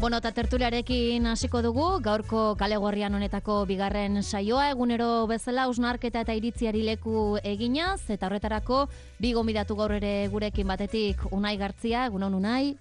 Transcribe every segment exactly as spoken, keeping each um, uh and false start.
Bueno, eta tertuliarekin hasiko dugu, gaurko kale gorrian honetako bigarren saioa, egunero bezala hausnarketa eta iritziari leku eginaz, eta horretarako bi gonbidatu gaur ere gurekin, batetik Unai Gartzia, egunon Unai.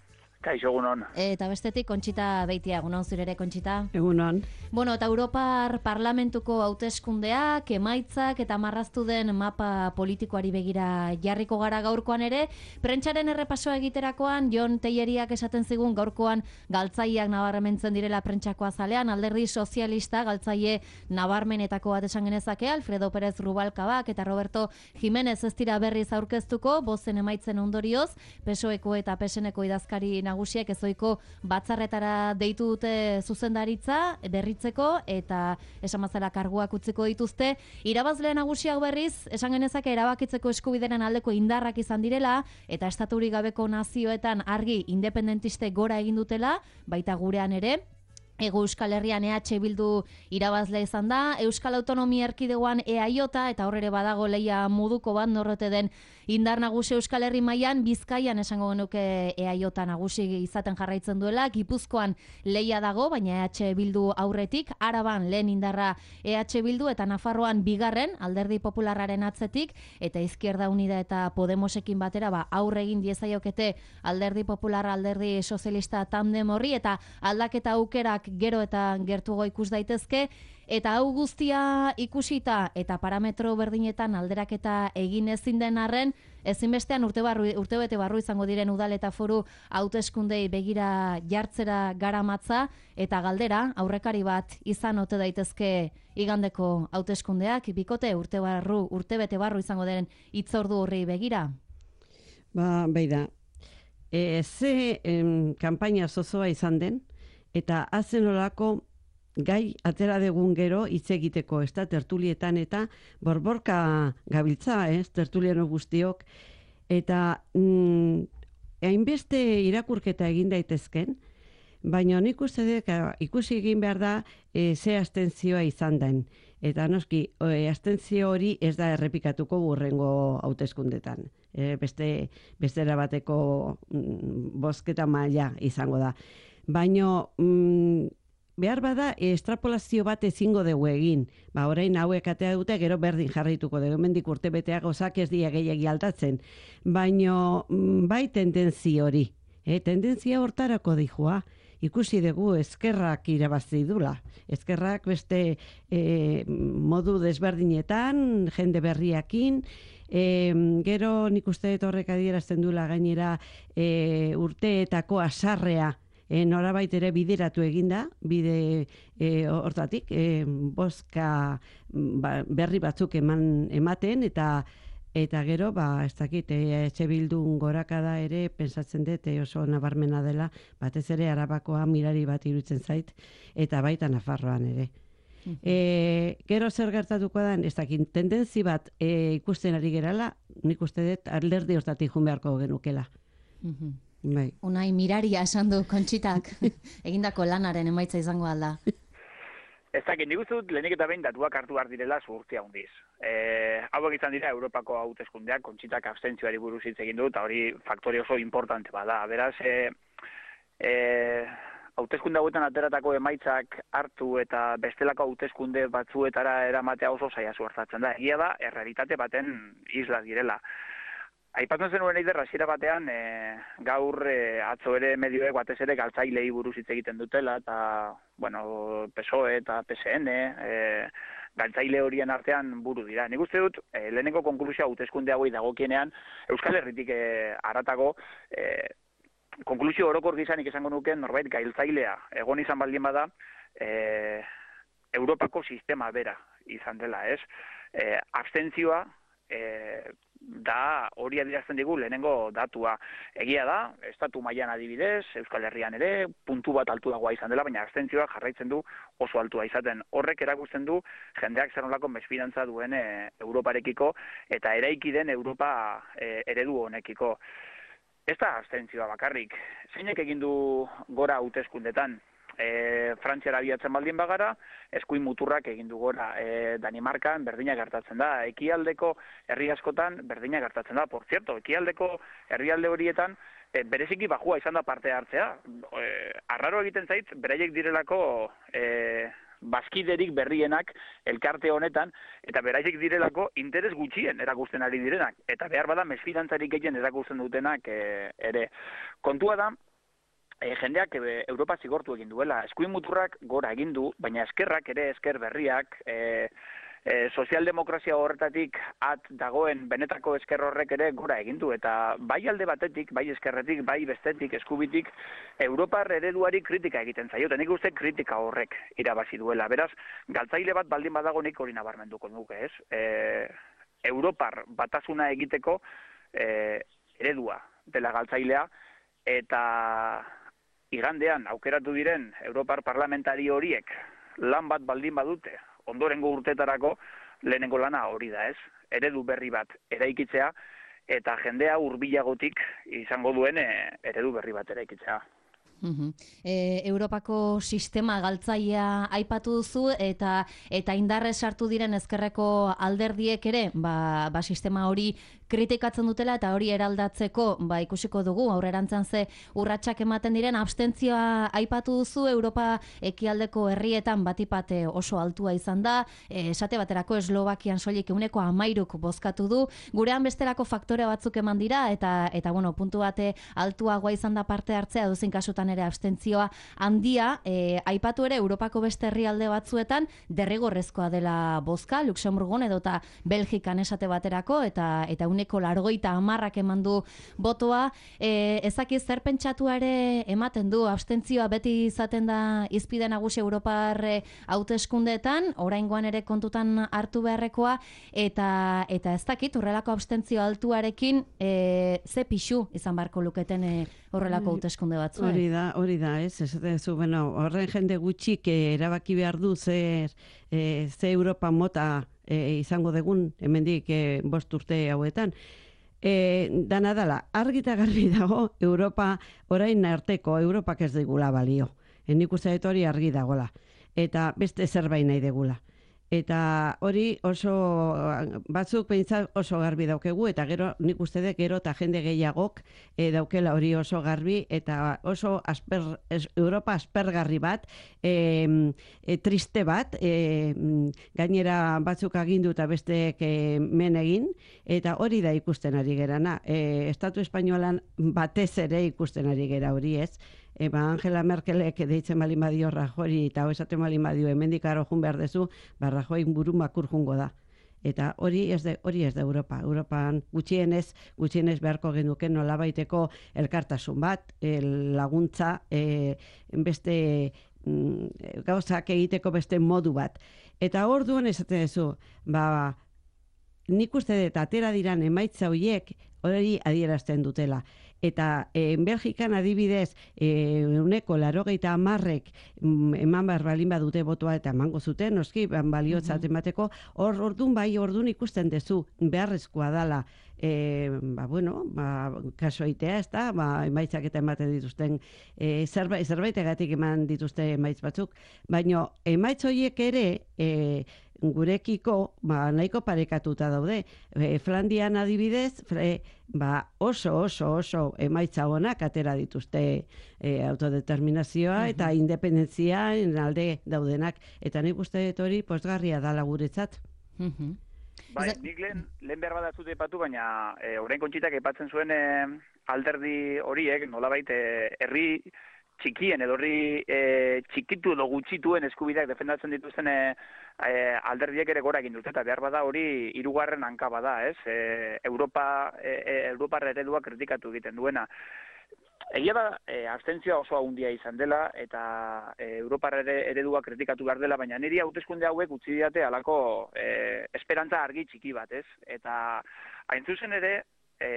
Kaixo, egunon. Eta bestetik Kontxita Beitia, egunon zurere Kontxita. Egunon. Bueno, eta Europar Parlamentuko hauteskundeak, emaitzak eta marraztu den mapa politikoari begira jarriko gara gaurkoan ere. Prentsaren errepasoa egiterakoan, Jon Telleriak esaten zigun gaurkoan galtzaileak nabarmentzen direla prentsakoa zalean, Alderdi Sozialista galtzaile nabarmenetako bat esan genezake, Alfredo Pérez Rubalcabak eta Roberto Jiménez ez dira berriz aurkeztuko, bozen emaitzen ondorioz, P S O Eko eta P S Neko idazkari nagusiek ezoiko batzarretara deitu dute zuzendaritza berritzeko eta esan mazela karguak utziko dituzte. Irabazle nagusiak berriz, esan genezake erabakitzeko eskubideren aldeko indarrak izan direla eta estaturik gabeko nazioetan argi independentiste gora egin dutela, baita gurean ere. Ego Euskal Herrian E H Bildu irabazle izan da, Euskal Autonomia Erkidegoan E A J eta horrere badago leia moduko bat norrote den indar nagusi Euskal Herri mailan, Bizkaian esango genuke E A J nagusi izaten jarraitzen duela, Gipuzkoan leia dago, baina E H Bildu aurretik, Araban lehen indarra E H Bildu eta Nafarroan bigarren Alderdi Popularraren atzetik, eta Izquierda Unida eta Podemosekin batera ba, aurre egin diezaiokete Alderdi Popular, Alderdi Sozialista tandem horri, eta aldaketa aukerak gero eta gertuago ikus daitezke, eta hau guztia ikusita eta parametro berdinetan alderaketa egin ezin den arren, ezinbestean urte barru, urtebete barru izango diren udal eta foru hauteskundei begira jartzera garamatza, eta galdera aurrekari bat izan ote daitezke igandeko hauteskundeak, bikote urte barru, urtebete barru izango den hitzordu horri begira. Ba, beida, e, ze em, kanpaina zozoa izan den, eta hazen olako gai atera degun gero hitz egiteko, ez da, tertulietan eta borborka gabiltza, ez, tertuliano guztiok, eta mm, hainbeste irakurketa egin daitezken, baina nik uste dut, ikusi egin behar da e, ze abstentzioa izan den. Eta noski, e, abstentzio hori ez da errepikatuko burrengo hauteskundetan. E, beste, bestera bateko mm, bozketa maila izango da. Baina mm, behar bada estrapolazio bat ezingo dugu egin. Ba, orain hauek atea dute, gero berdin jarraituko dugu. Hemendik urte beteak osak ez dia gehiagi aldatzen. Baina mm, bai tendenzi hori. E, tendentzia hortarako dijua. Ikusi dugu ezkerrak irabazi dula. Ezkerrak beste e, modu desberdinetan, jende berriakin, e, gero nik uste dut horrek adierazten dula gainera e, urteetako asarrea e, norabait ere bideratu eginda, bide e, hortatik, e, bozka ba, berri batzuk eman ematen, eta Eta gero, ba, ez dakit, E H Bildun gorakada ere, pensatzen dut oso nabarmena dela, batez ere Arabakoa mirari bat iruditzen zait, eta baita Nafarroan ere. Uh-huh. E, gero zer gertatuko da, ez dakit, tendentzi bat e, ikusten ari gerala, nik uste dut alderdi hortatik jun beharko genukela. Uh-huh. Bai. Unai miraria esan du Kontxitak, egindako lanaren emaitza izango alda. Ez dakit, nik uste dut lehenik eta behin datuak hartu behar direla zuhurtzia hundiz. E, hauek izan dira Europako hauteskundeak, Kontxitak abstentzioari buruz hitz egin du, eta hori faktore oso importante bada. Beraz, e, e, hauteskunde hauetan ateratako emaitzak hartu eta bestelako hauteskunde batzuetara eramatea oso zaila zuhartatzen da. Egia da, errealitate baten isla direla. Aipatzen zenuen eider, hasiera batean, e, gaur e, atzo ere medioek batez ere galtzailei buruz hitz egiten dutela, eta, bueno, P S O E eta P S N, e, galtzaile horien artean buru dira. Nik uste dut, e, lehenengo konklusioa hauteskunde hauei dagokienean, Euskal Herritik e, haratago, e, konklusio orokor gizanik esango nuken, norbait gailtzailea egon izan baldin bada, e, Europako sistema bera izan dela, ez? E, abstentzioa, e, da hori adierazten digu lehenengo datua. Egia da, estatu mailan adibidez, Euskal Herrian ere, puntu bat altuagoa izan dela, baina abstentzioa jarraitzen du oso altua izaten. Horrek erakusten du jendeak zer nolako mesfidantza duen e, Europarekiko eta eraiki den Europa e, eredu honekiko. Ez da abstentzioa bakarrik. Zeinek egin du gora hauteskundetan? E, Frantziara abiatzen baldin bagara, eskuin muturrak egin du gora. E, Danimarkan berdina gertatzen da. Ekialdeko herri askotan berdina gertatzen da. Por cierto, ekialdeko herrialde horietan e, bereziki bajua izan da parte hartzea. E, arraro egiten zait, beraiek direlako e, bazkiderik berrienak elkarte honetan, eta beraiek direlako interes gutxien erakusten ari direnak, eta behar bada mesfidantzarik gehien erakusten dutenak e, ere. Kontua da, e, jendeak e, Europa zigortu egin duela, eskuin muturrak gora egin du, baina eskerrak ere esker berriak, e, E, sozialdemokrazia horretatik at dagoen benetako esker horrek ere gora egin du, eta bai alde batetik, bai eskerretik, bai bestetik, eskubitik, Europar ereduari kritika egiten zaio, eta nik uste kritika horrek irabazi duela. Beraz, galtzaile bat baldin badago nik hori nabarmenduko nuke, ez? E, Europar batasuna egiteko e, eredua dela galtzailea, eta igandean aukeratu diren Europar parlamentari horiek lan bat baldin badute, ondorengo urtetarako lehenengo lana hori da, ez? Eredu berri bat eraikitzea, eta jendea hurbilagotik izango duen e, eredu berri bat eraikitzea. Uhum. E, Europako sistema galtzailea aipatu duzu, eta eta indarrez sartu diren ezkerreko alderdiek ere, ba, ba sistema hori kritikatzen dutela, eta hori eraldatzeko ba ikusiko dugu aurrerantzan ze urratsak ematen diren. Abstentzioa aipatu duzu, Europa ekialdeko herrietan batipate oso altua izan da, e, esate baterako Eslovakian soilik ehuneko hamairuk bozkatu du, gurean bestelako faktore batzuk eman dira, eta eta bueno, puntu bate altuagoa izan da parte hartzea, edozein kasutan ere abstentzioa handia. E, aipatu ere Europako beste herrialde batzuetan derrigorrezkoa dela bozka, Luxemburgon edota Belgikan esate baterako, eta eta uneko largoita hamarrak eman du botoa. E, ezaki zer pentsatua ere ematen du, abstentzioa beti izaten da izpide nagusi Europar hauteskundeetan, oraingoan ere kontutan hartu beharrekoa, eta eta ez dakit horrelako abstentzio altuarekin e, ze pixu izan beharko luketen e, horrelako hauteskunde batzu. Hori da, hori da, ez, ez zu, bueno, horren jende gutxik eh, erabaki behar du zer, eh, ze Europa mota eh, izango degun, hemendik eh, bost urte hauetan. Eh, dana dala, argita garbi dago, Europa, orain arteko, Europak ez digula balio. E, nik uste dut hori argi dagola. Eta beste zerbait nahi degula. Eta hori oso, batzuk pentsa oso garbi daukegu, eta gero nik uste dut gero eta jende gehiagok e, daukela hori oso garbi, eta oso asper, es, Europa aspergarri bat, e, e, triste bat, e, gainera batzuk agindu eta besteek e, men egin, eta hori da ikusten ari gerana. E, Estatu Espainolan batez ere ikusten ari gera hori, ez? Eba Angela Merkelek deitzen balin badio Rajori, eta esaten balin badio hemendik aro jun behar dezu, ba Rajoy buru makur jungo da. Eta hori ez da hori ez da Europa. Europan gutxienez, gutxienez beharko genuke nolabaiteko elkartasun bat, el laguntza, e, beste mm, gauzak egiteko beste modu bat. Eta orduan esaten duzu, ba nik uste dut atera diran emaitza horiek hori adierazten dutela. Eta e, Belgikan adibidez, e, uneko larogeita hamarrek eman behar balin badute botoa eta emango zuten, noski, baliotzat emateko, hor ordun bai, ordun ikusten dezu, beharrezkoa dala, e, ba, bueno, ba, kaso aitea, ez da, ba, emaitzak eta ematen dituzten, e, zerbait, zerbaitegatik eman dituzte emaitz batzuk, baina emaitz horiek ere, e, gurekiko ba, nahiko parekatuta daude. E, Flandian adibidez, fre, ba, oso, oso, oso emaitza honak atera dituzte e, autodeterminazioa uh-huh. eta independentzia alde daudenak. Eta nik uste dut hori pozgarria dala guretzat. Uh-huh. Bai, nik lehen, lehen behar badatzut epatu, baina e, orain kontxitak epatzen zuen e, alderdi horiek, nolabait, e, herri txikien edo horri e, txikitu edo gutxituen eskubideak defendatzen dituzten e, e, alderdiek ere gora egin dute, eta behar bada hori hirugarren hanka bada, ez? E, Europa, e, Europar eredua kritikatu egiten duena. Egia da, e, abstentzioa oso handia izan dela, eta e, Europar eredua kritikatu behar dela, baina niri hauteskunde hauek utzi didate halako e, esperantza argi txiki bat, ez? Eta hain zuzen ere, e,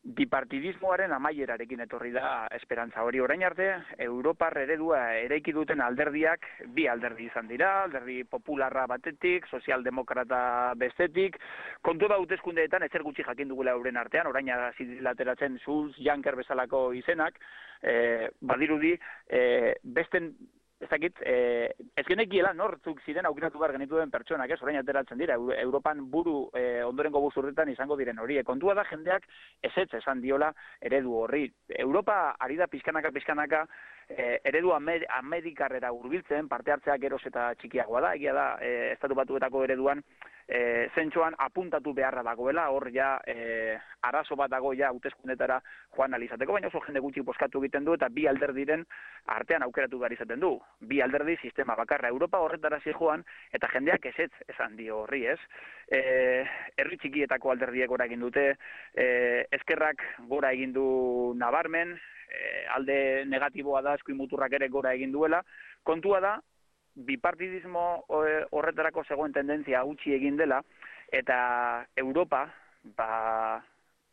bipartidismoaren amaierarekin etorri da esperantza hori. Orain arte, Europar eredua eraiki duten alderdiak bi alderdi izan dira, alderdi popularra batetik, sozialdemokrata bestetik, kontu da hauteskundeetan ezer gutxi jakin dugula euren artean, orain ateratzen Schulz, Juncker bezalako izenak, e, badirudi, e, besten ez dakit, e, ez genekiela nortzuk ziren aukeratu behar genituen pertsonak, ez, orain ateratzen dira, Europan buru e, ondorengo buzurretan izango diren horiek. Kontua da jendeak ezetz esan diola eredu horri. Europa ari da pizkanaka, pizkanaka, e, eredu amer, amerikarrera hurbiltzen, parte hartzeak geroz eta txikiagoa da, egia da, e, Estatu Batuetako ereduan, E, zentsoan apuntatu beharra dagoela, hor ja e, arazo bat dago ja hauteskundetara joan alizateko, baina oso jende gutxi bozkatu egiten du eta bi alderdiren artean aukeratu behar izaten du. Bi alderdi sistema bakarra Europa horretara joan eta jendeak ezetz esan dio horri, ez? E, herri txikietako alderdiek gora egin dute, e, ezkerrak gora egin du nabarmen, e, alde negatiboa da eskuin muturrak ere gora egin duela, kontua da, bipartidismo horretarako zegoen tendentzia gutxi egin dela, eta Europa, ba,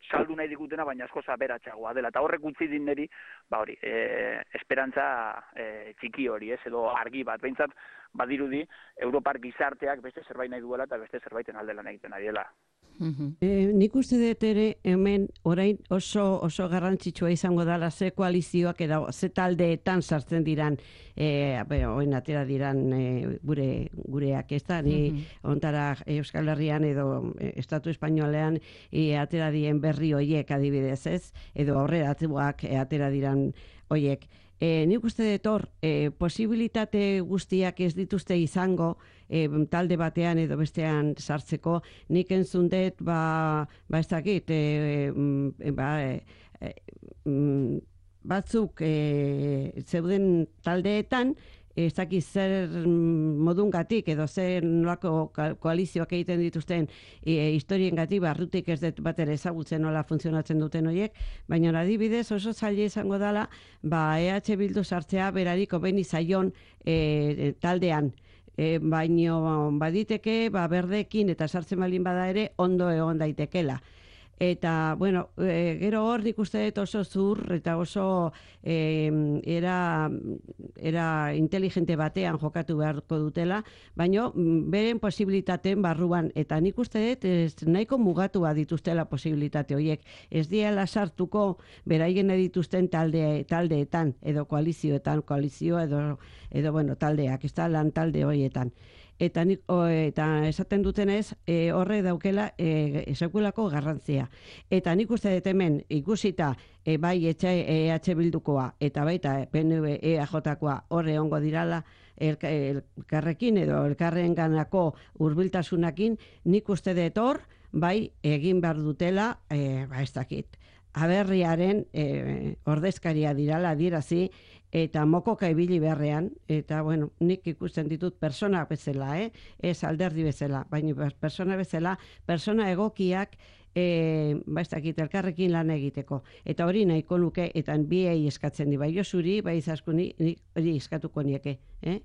saldu nahi digutena, baina asko aberatsagoa dela. Eta horrek utzi dineri, ba hori, e, esperantza e, txiki hori, ez, edo argi bat. Behintzat, badirudi, Europar gizarteak beste zerbait nahi duela eta beste zerbaiten aldelan egiten ari dela. E, nik uste dut ere hemen orain oso oso garrantzitsua izango dela ze koalizioak edo ze taldeetan sartzen diran e, orain atera diran e, gure gureak ez da ni ontara Euskal Herrian edo e, Estatu Espainolean e, atera dien berri hoiek adibidez ez edo aurreratuak e, atera diran hoiek. E, nik uste dut hor, e, posibilitate guztiak ez dituzte izango e, talde batean edo bestean sartzeko, nik entzun dut, ba, ba ez dakit, e, e, ba, e, e, batzuk e, zeuden taldeetan, ez dakit zer modungatik edo zer nolako koalizioak egiten dituzten e, historiengatik barrutik ez dut bat ere ezagutzen nola funtzionatzen duten horiek, baina adibidez oso zaila izango dela ba E H Bildu sartzea berari komeni zaion e, taldean. E, baino baditeke ba berdekin eta sartzen baldin bada ere ondo egon daitekela. Eta, bueno, e, gero hor nik uste dut oso zur eta oso e, era, era inteligente batean jokatu beharko dutela, baino beren posibilitateen barruan, eta nik uste dut ez, nahiko mugatua dituztela posibilitate horiek. Ez diela sartuko beraien dituzten talde, taldeetan, edo koalizioetan, koalizio edo, edo bueno, taldeak, ez da lan talde horietan. Eta, nik, o, eta esaten dutenez, e, horre daukela e, esakulako garrantzia. Eta nik uste dut hemen ikusita e, bai E H Bildukoa eta baita P N V E A J-koa horre ongo dirala elkarrekin edo elkarren ganako hurbiltasunakin, nik uste dut hor, bai egin behar dutela, e, ba ez dakit, aberriaren e, ordezkaria dirala adierazi, eta mokoka ibili beharrean, eta bueno, nik ikusten ditut persona bezala, eh? Ez alderdi bezala, baina persona bezala, persona egokiak e, ba ez dakit, elkarrekin lan egiteko. Eta hori nahiko nuke, eta biei eskatzen di, bai Josuri, bai Izaskuni, hori eskatuko nieke, eh?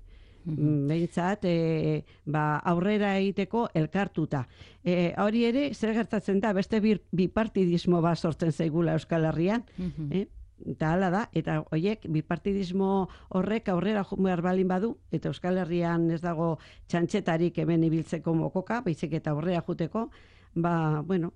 Mm-hmm. Behintzat, e, ba, aurrera egiteko elkartuta. E, hori ere, zer gertatzen da, beste bipartidismo bat sortzen zaigula Euskal Herrian, mm-hmm. eh? Eta hala da, eta horiek bipartidismo horrek aurrera behar balin badu, eta Euskal Herrian ez dago txantxetarik hemen ibiltzeko mokoka, baizik eta aurrera juteko, ba, bueno,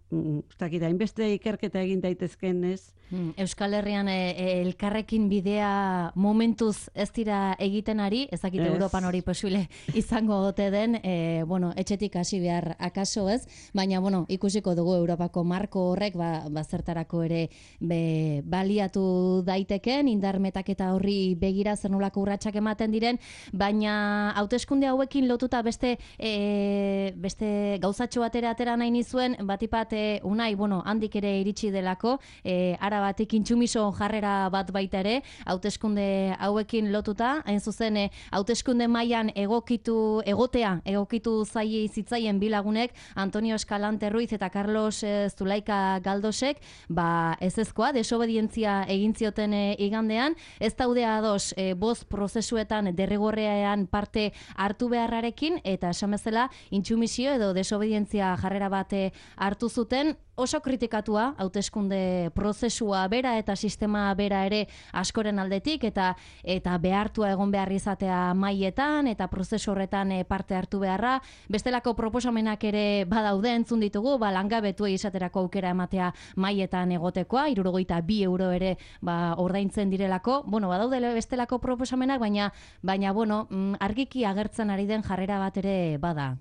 ustakita, hainbeste ikerketa egin daitezken ez. Euskal Herrian e, e, elkarrekin bidea momentuz ez dira egiten ari, ez dakit Europan hori posible izango ote den, e, bueno, etxetik hasi behar akaso ez, baina, bueno, ikusiko dugu Europako marko horrek, ba, bazertarako ere be, baliatu daiteken, indarmetak eta horri begira zer nolako urratsak ematen diren, baina hauteskunde hauekin lotuta beste, e, beste gauzatxo batera atera nahi niz zuen, batipat e, unai, bueno, handik ere iritsi delako, e, ara batik intsumiso jarrera bat baita ere, hauteskunde hauekin lotuta, hain zuzen, e, hauteskunde mailan egokitu, egotea, egokitu zaie zitzaien bilagunek, Antonio Escalante Ruiz eta Carlos e, Zulaika Galdosek, ba, ez ezkoa, desobedientzia egin zioten e, igandean, ez daude ados e, bost prozesuetan derrigorrean parte hartu beharrarekin, eta esan bezala, intsumisio edo desobedientzia jarrera bat eh, hartu zuten, oso kritikatua hauteskunde prozesua bera eta sistema bera ere askoren aldetik eta eta behartua egon behar izatea maietan eta prozesu horretan eh, parte hartu beharra. Bestelako proposamenak ere badaude entzun ditugu, ba, langabetuei izaterako aukera ematea maietan egotekoa, hirurogeita bi euro ere ba, ordaintzen direlako. Bueno, badaude bestelako proposamenak, baina, baina bueno, argiki agertzen ari den jarrera bat ere bada.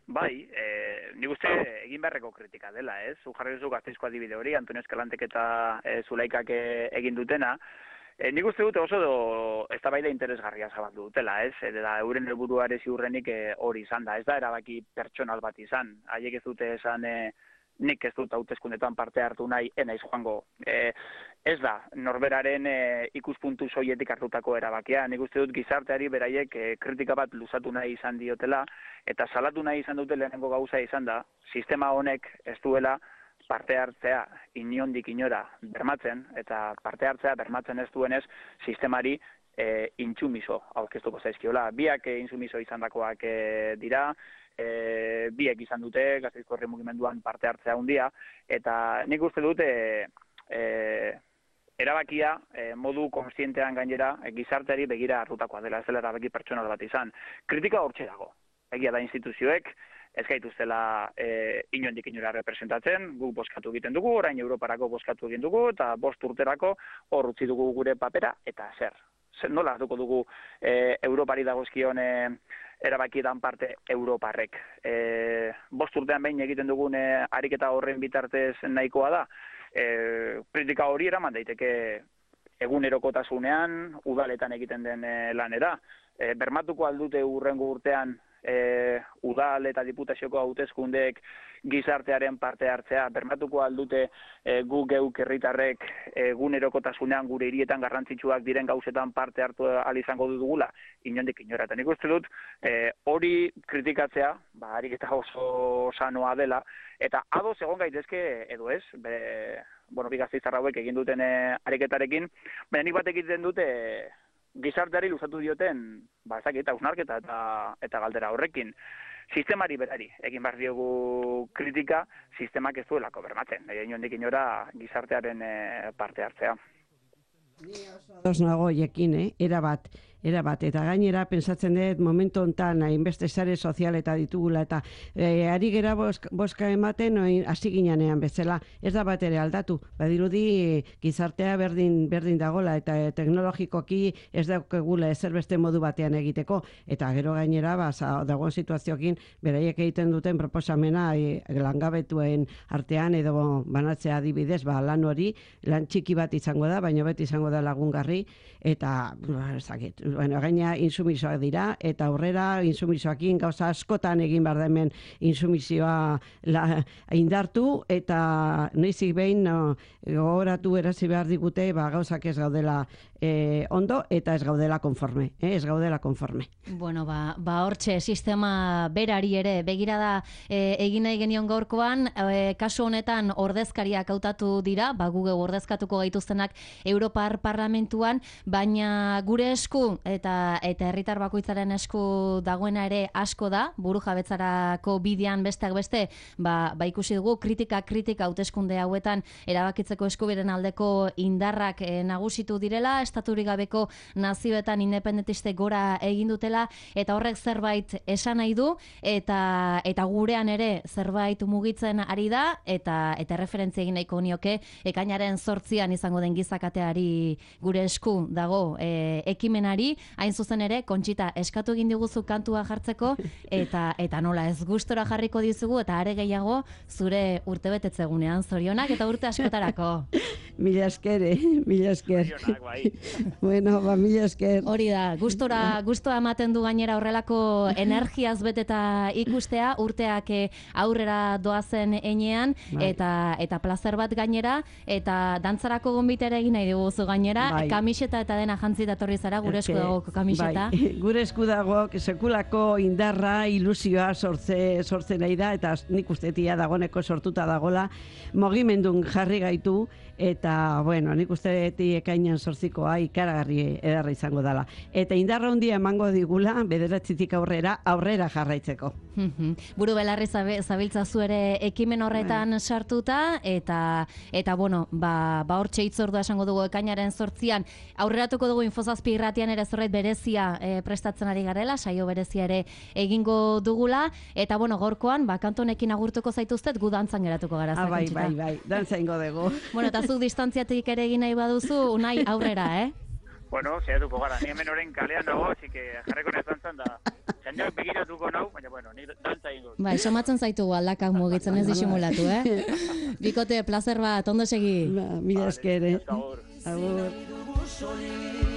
Bai, eh, nik uste egin beharreko kritika dela, ez? Zu jarri duzu Gasteizko adibide hori, Antonio Escalantek eta e, Zulaikak e, egin dutena. E, nik uste dute oso do, eztabaida interesgarria zabaldu dutela, ez? Eta euren helburua ere ziurrenik e, hori izan da. Ez da erabaki pertsonal bat izan. Haiek ez dute esan e, nik ez dut hauteskundetan parte hartu nahi, enaiz joango. E, ez da, norberaren e, ikuspuntu soietik hartutako erabakia. Nik uste dut gizarteari beraiek e, kritika bat luzatu nahi izan diotela, eta salatu nahi izan dute lehenengo gauza izan da, sistema honek ez duela parte hartzea inondik inora bermatzen, eta parte hartzea bermatzen ez duenez sistemari e, intsumiso aurkeztuko zaizkiola. Biak e, intsumiso izandakoak e, dira, E, biek izan dute Gasteizko herri mugimenduan parte hartzea handia, eta nik uste dute e, erabakia e, modu konstientean gainera e, gizarteari begira hartutakoa dela, ez dela erabaki pertsonal bat izan. Kritika hortxe dago. Egia da instituzioek ez gaituztela e, inondik inora representatzen, guk bozkatu egiten dugu, orain Europarako bozkatu egin dugu, eta bost urterako hor utzi dugu gure papera, eta zer. Zer nola hartuko dugu e, Europari dagozkion e, erabakietan parte Europarrek. E, bost urtean behin egiten dugun e, ariketa horren bitartez nahikoa da. E, kritika hori eraman daiteke egunerokotasunean, udaletan egiten den e, lanera. E, bermatuko aldute urrengo urtean e, udal eta diputazioko hauteskundeek gizartearen parte hartzea, bermatuko aldute e, gu geuk herritarrek egunerokotasunean gure hirietan garrantzitsuak diren gauzetan parte hartu ahal izango dugula, inondik inora. Eta nik uste dut e, hori kritikatzea, ba, ariketa oso sanoa dela, eta ados egon gaitezke edo ez, be, bueno, bi gasteiztar hauek egin duten e, ariketarekin, baina nik bat egiten dute e, gizarteari luzatu dioten, ba, ezakit, hausnarketa eta, eta galdera horrekin. Sistemari berari, egin behar diogu kritika, sistemak ez duelako bermatzen. Inondik inora gizartearen e, parte hartzea. Ni oso ados nago jekin, eh? Era bat, era bat. Eta gainera, pensatzen dut, momentu honetan, hainbeste sare sozial eta ditugula, eta e, ari gera boska, boska ematen, oin, hasi ginean bezala, ez da bat ere aldatu. Badirudi, gizartea berdin, berdin dagola, eta e, teknologikoki ez daukegula ezer beste modu batean egiteko, eta gero gainera, ba, dagoen situazioekin, beraiek egiten duten proposamena e, langabetuen artean, edo banatzea adibidez, ba, lan hori, lan txiki bat izango da, baina beti izango da lagungarri, eta ezakit, bueno, gaina insumisoak dira, eta aurrera insumisoakin gauza askotan egin behar da hemen insumisioa la, indartu, eta noizik behin no, gogoratu erazi behar digute, ba, gauzak ez gaudela e, ondo, eta ez gaudela konforme, eh? ez gaudela konforme. Bueno, ba, ba hortxe, sistema berari ere, begira da e, egin nahi genion gaurkoan, e, kasu honetan ordezkariak hautatu dira, ba, Google ordezkatuko gaituztenak Europar Parlamentuan, baina gure esku eta eta herritar bakoitzaren esku dagoena ere asko da, burujabetzarako bidean besteak beste, ba, ba ikusi dugu kritika kritika hauteskunde hauetan erabakitzeko eskubideen aldeko indarrak e, nagusitu direla, estaturik gabeko nazioetan independentiste gora egin dutela, eta horrek zerbait esan nahi du, eta eta gurean ere zerbait mugitzen ari da, eta eta referentzia egin nahiko nioke ekainaren zortzian izango den gizakateari gure esku dago e, ekimenari, hain zuzen ere, Kontxita, eskatu egin diguzu kantua jartzeko, eta eta nola ez gustora jarriko dizugu, eta are gehiago zure urtebetetzegunean, zorionak eta urte askotarako. Mila esker, eh? Mila esker. Zorionak, bai. Bueno, ba, mila esker. Hori da, gustora, gustoa ematen du gainera horrelako energiaz beteta ikustea, urteak aurrera doazen enean, bai. eta eta plazer bat gainera, eta dantzarako gonbitere egin nahi diguzu gainera, bai. Kamiseta eta dena jantzita etorri zara, gure esku dago kamiseta. Bai, gure esku dago sekulako indarra, ilusioa sortze, sortze nahi da, eta nik ustetia dagoneko sortuta dagola, mogimendun jarri gaitu, eta, bueno, nik ustetik ekainan sortzikoa ikaragarri edarra izango dela. Eta indarra handia emango digula, bederatzitik aurrera, aurrera jarraitzeko. Buru belarri zabiltza zu ere ekimen horretan sartuta, eta, eta bueno, ba, ba hortxe itzordua esango dugu ekainaren sortzian, aurreratuko dugu Infozazpi irratian ere zerbait berezia e, prestatzen ari garela, saio berezia ere egingo dugula, eta bueno, gorkoan, ba, kantonekin agurtuko zaituztet, gu dantzan geratuko gara. Ah, bai, bai, bai, dantza ingo dugu. Bueno, eta zuk distantziatik ere egin nahi baduzu, unai aurrera, eh? Bueno, zehatuko gara, ni hemen oren kalean dago, así que jarreko nez dantzan da, jendeak begiratuko nau, baina bueno, ni dantza ingo. Bai, somatzen zaitu aldakak mugitzen ez disimulatu, eh? Bikote, placer bat, ondo segi. Ba, mila esker, eh? Agur. Agur.